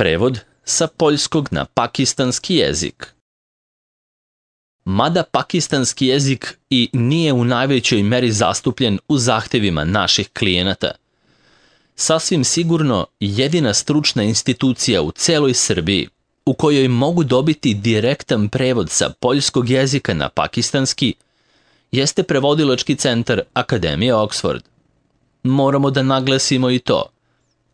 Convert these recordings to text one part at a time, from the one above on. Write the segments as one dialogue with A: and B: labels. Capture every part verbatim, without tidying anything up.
A: Prevod sa poljskog na pakistanski jezik. Mada pakistanski jezik i nije u najvećoj meri zastupljen u zahtevima naših klijenata, sasvim sigurno jedina stručna institucija u celoj Srbiji u kojoj mogu dobiti direktan prevod sa poljskog jezika na pakistanski jeste prevodilački centar Akademije Oxford. Moramo da naglasimo i to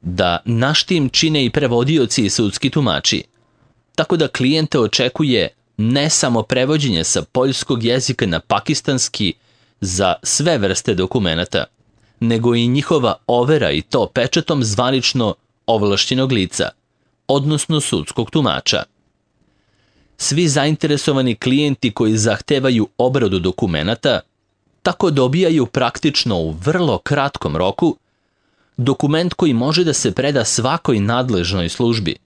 A: da naš tim čine i prevodioci i sudski tumači, tako da klijente očekuje ne samo prevođenje sa poljskog jezika na pakistanski za sve vrste dokumenata, nego i njihova overa i to pečatom zvanično ovlašćenog lica, odnosno sudskog tumača. Svi zainteresovani klijenti koji zahtevaju obradu dokumenata tako dobijaju praktično u vrlo kratkom roku dokument koji može da se preda svakoj nadležnoj službi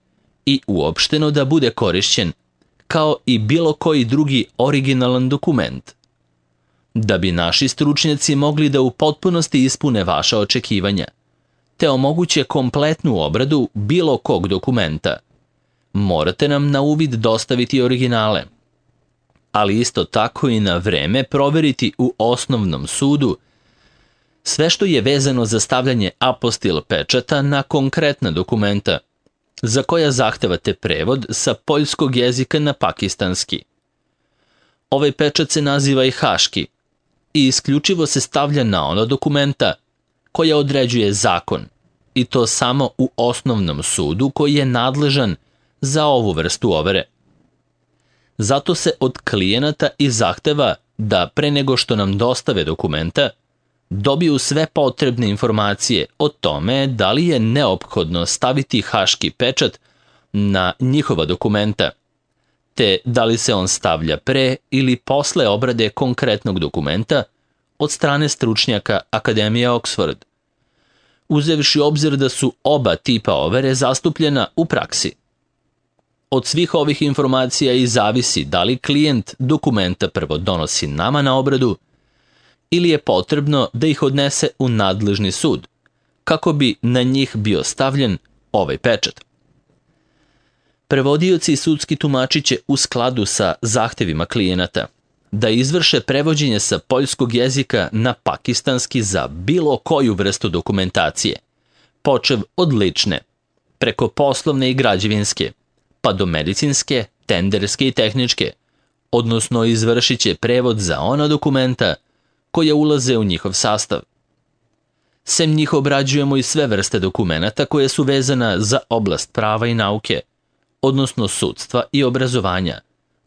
A: i uopšteno da bude korišćen kao i bilo koji drugi originalan dokument. Da bi naši stručnjaci mogli da u potpunosti ispune vaša očekivanja, te omoguće kompletnu obradu bilo kog dokumenta, morate nam na uvid dostaviti originale, ali isto tako i na vreme proveriti u osnovnom sudu sve što je vezano za stavljanje apostil pečata na konkretna dokumenta za koja zahtevate prevod sa poljskog jezika na pakistanski. Ovaj pečat se naziva i haški i isključivo se stavlja na ona dokumenta koja određuje zakon, i to samo u osnovnom sudu koji je nadležan za ovu vrstu overe. Zato se od klijenata i zahteva da pre nego što nam dostave dokumenta dobiju sve potrebne informacije o tome da li je neophodno staviti haški pečat na njihova dokumenta, te da li se on stavlja pre ili posle obrade konkretnog dokumenta od strane stručnjaka Akademije Oxford, uzevši obzir da su oba tipa overe zastupljena u praksi. Od svih ovih informacija i zavisi da li klijent dokumenta prvo donosi nama na obradu ili je potrebno da ih odnese u nadležni sud, kako bi na njih bio stavljen ovaj pečat. Prevodioci i sudski tumači će u skladu sa zahtevima klijenata da izvrše prevođenje sa poljskog jezika na pakistanski za bilo koju vrstu dokumentacije, počev od lične, preko poslovne i građevinske, pa do medicinske, tenderske i tehničke, odnosno izvršit će prevod za ona dokumenta koja ulaze u njihov sastav. Sem njih obrađujemo i sve vrste dokumenata koje su vezana za oblast prava i nauke, odnosno sudstva i obrazovanja,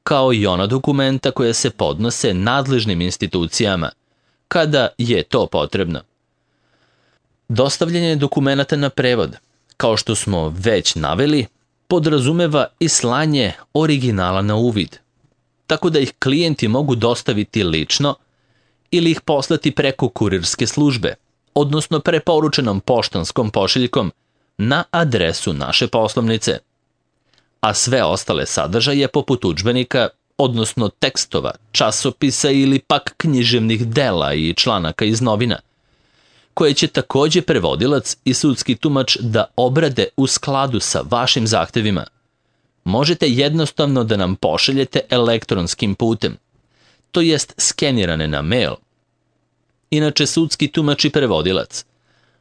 A: kao i ona dokumenta koja se podnose nadležnim institucijama, kada je to potrebno. Dostavljanje dokumenata na prevod, kao što smo već naveli, podrazumeva i slanje originala na uvid, tako da ih klijenti mogu dostaviti lično ili ih poslati preko kurirske službe, odnosno preporučenom poštanskom pošiljkom na adresu naše poslovnice. A sve ostale sadržaje poput udžbenika, odnosno tekstova, časopisa ili pak književnih dela i članaka iz novina, koje će takođe prevodilac i sudski tumač da obrade u skladu sa vašim zahtevima, možete jednostavno da nam pošaljete elektronskim putem, to jest skenirane na mail. Inače, sudski tumač i prevodilac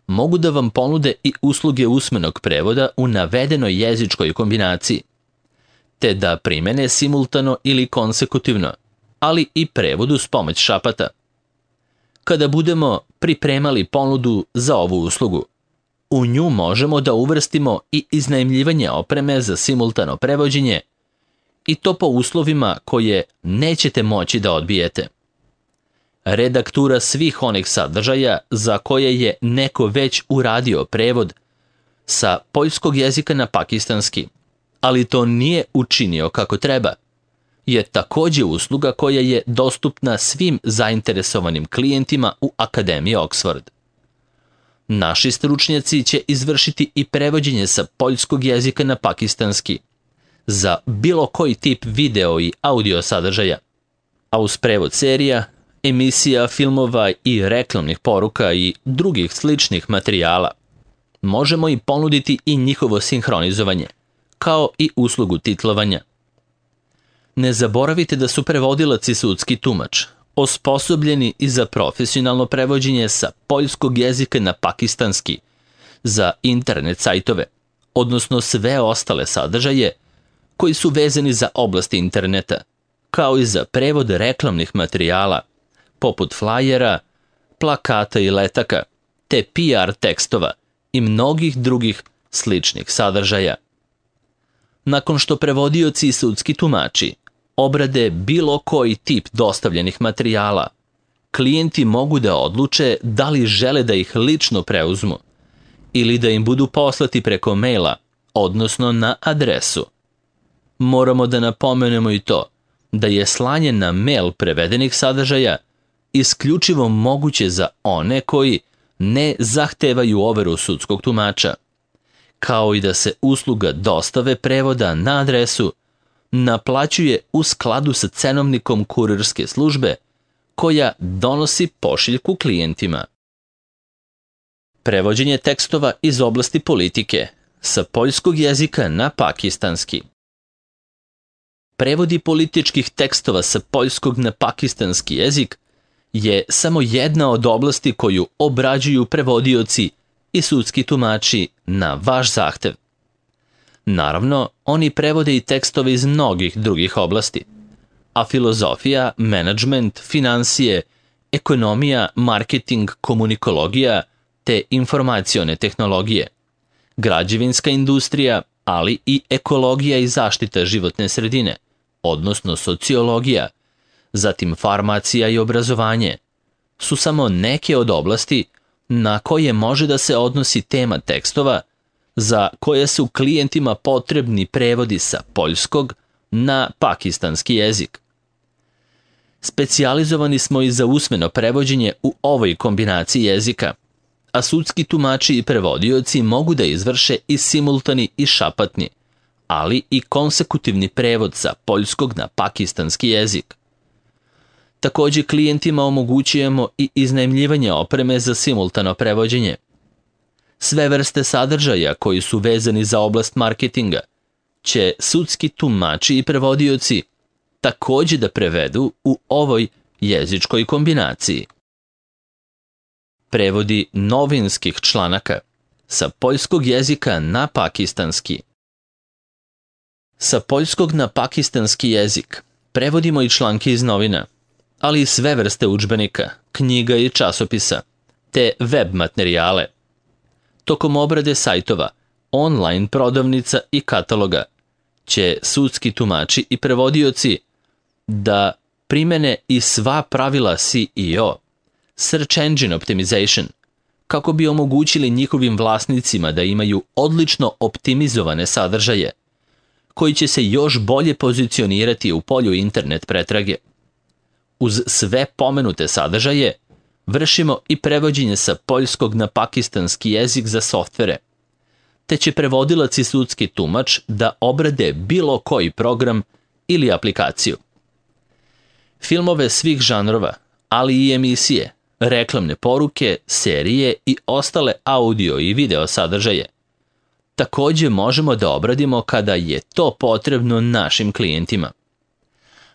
A: mogu da vam ponude i usluge usmenog prevoda u navedenoj jezičkoj kombinaciji, te da primene simultano ili konsekutivno, ali i prevodu s pomoć šapata. Kada budemo pripremali ponudu za ovu uslugu, u nju možemo da uvrstimo i iznajmljivanje opreme za simultano prevođenje, i to po uslovima koje nećete moći da odbijete. Redaktura svih onih sadržaja za koje je neko već uradio prevod sa poljskog jezika na pakistanski, ali to nije učinio kako treba, je takođe usluga koja je dostupna svim zainteresovanim klijentima u Akademiji Oxford. Naši stručnjaci će izvršiti i prevođenje sa poljskog jezika na pakistanski za bilo koji tip video i audio sadržaja, a uz prevod serija, emisija, filmova i reklamnih poruka i drugih sličnih materijala možemo i ponuditi i njihovo sinhronizovanje, kao i uslugu titlovanja. Ne zaboravite da su prevodilac i sudski tumač osposobljeni i za profesionalno prevođenje sa poljskog jezika na pakistanski, za internet sajtove, odnosno sve ostale sadržaje koji su vezani za oblast interneta, kao i za prevod reklamnih materijala, poput flajera, plakata i letaka, te P R tekstova i mnogih drugih sličnih sadržaja. Nakon što prevodioci i sudski tumači obrade bilo koji tip dostavljenih materijala, klijenti mogu da odluče da li žele da ih lično preuzmu ili da im budu poslati preko maila, odnosno na adresu. Moramo da napomenemo i to da je slanje na mail prevedenih sadržaja isključivo moguće za one koji ne zahtevaju overu sudskog tumača, kao i da se usluga dostave prevoda na adresu naplaćuje u skladu sa cenovnikom kurirske službe koja donosi pošiljku klijentima. Prevođenje tekstova iz oblasti politike sa poljskog jezika na pakistanski. Prevodi političkih tekstova sa poljskog na pakistanski jezik je samo jedna od oblasti koju obrađuju prevodioci i sudski tumači na vaš zahtev. Naravno, oni prevode i tekstove iz mnogih drugih oblasti, a filozofija, menadžment, finansije, ekonomija, marketing, komunikologija te informacione tehnologije, građevinska industrija, ali i ekologija i zaštita životne sredine, odnosno sociologija, zatim farmacija i obrazovanje, su samo neke od oblasti na koje može da se odnosi tema tekstova za koje su klijentima potrebni prevodi sa poljskog na pakistanski jezik. Specijalizovani smo i za usmeno prevođenje u ovoj kombinaciji jezika, a sudski tumači i prevodioci mogu da izvrše i simultani i šapatni, ali i konsekutivni prevod sa poljskog na pakistanski jezik. Takođe klijentima omogućujemo i iznajmljivanje opreme za simultano prevođenje. Sve vrste sadržaja koji su vezani za oblast marketinga će sudski tumači i prevodioci takođe da prevedu u ovoj jezičkoj kombinaciji. Prevodi novinskih članaka sa poljskog jezika na pakistanski. Sa poljskog na pakistanski jezik prevodimo i članke iz novina, ali i sve vrste udžbenika, knjiga i časopisa, te web materijale. Tokom obrade sajtova, online prodavnica i kataloga će sudski tumači i prevodioci da primene i sva pravila S E O, Search Engine Optimization, kako bi omogućili njihovim vlasnicima da imaju odlično optimizovane sadržaje, koji će se još bolje pozicionirati u polju internet pretrage. Uz sve pomenute sadržaje, vršimo i prevođenje sa poljskog na pakistanski jezik za softvere, te će prevodilac i sudski tumač da obrade bilo koji program ili aplikaciju. Filmove svih žanrova, ali i emisije, reklamne poruke, serije i ostale audio i video sadržaje takođe možemo da obradimo kada je to potrebno našim klijentima.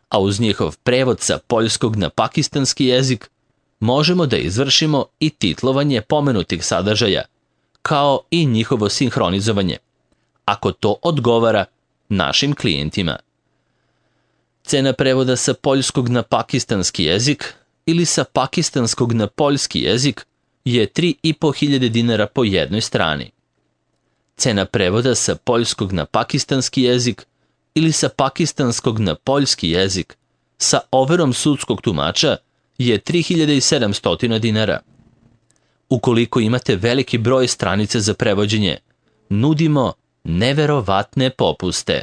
A: A uz njihov prevod sa poljskog na pakistanski jezik možemo da izvršimo i titlovanje pomenutih sadržaja, kao i njihovo sinhronizovanje, ako to odgovara našim klijentima. Cena prevoda sa poljskog na pakistanski jezik ili sa pakistanskog na poljski jezik je tri i po hiljade dinara po jednoj strani. Cena prevoda sa poljskog na pakistanski jezik ili sa pakistanskog na poljski jezik sa overom sudskog tumača je tri hiljade sedamsto dinara. Ukoliko imate veliki broj stranica za prevođenje, nudimo neverovatne popuste.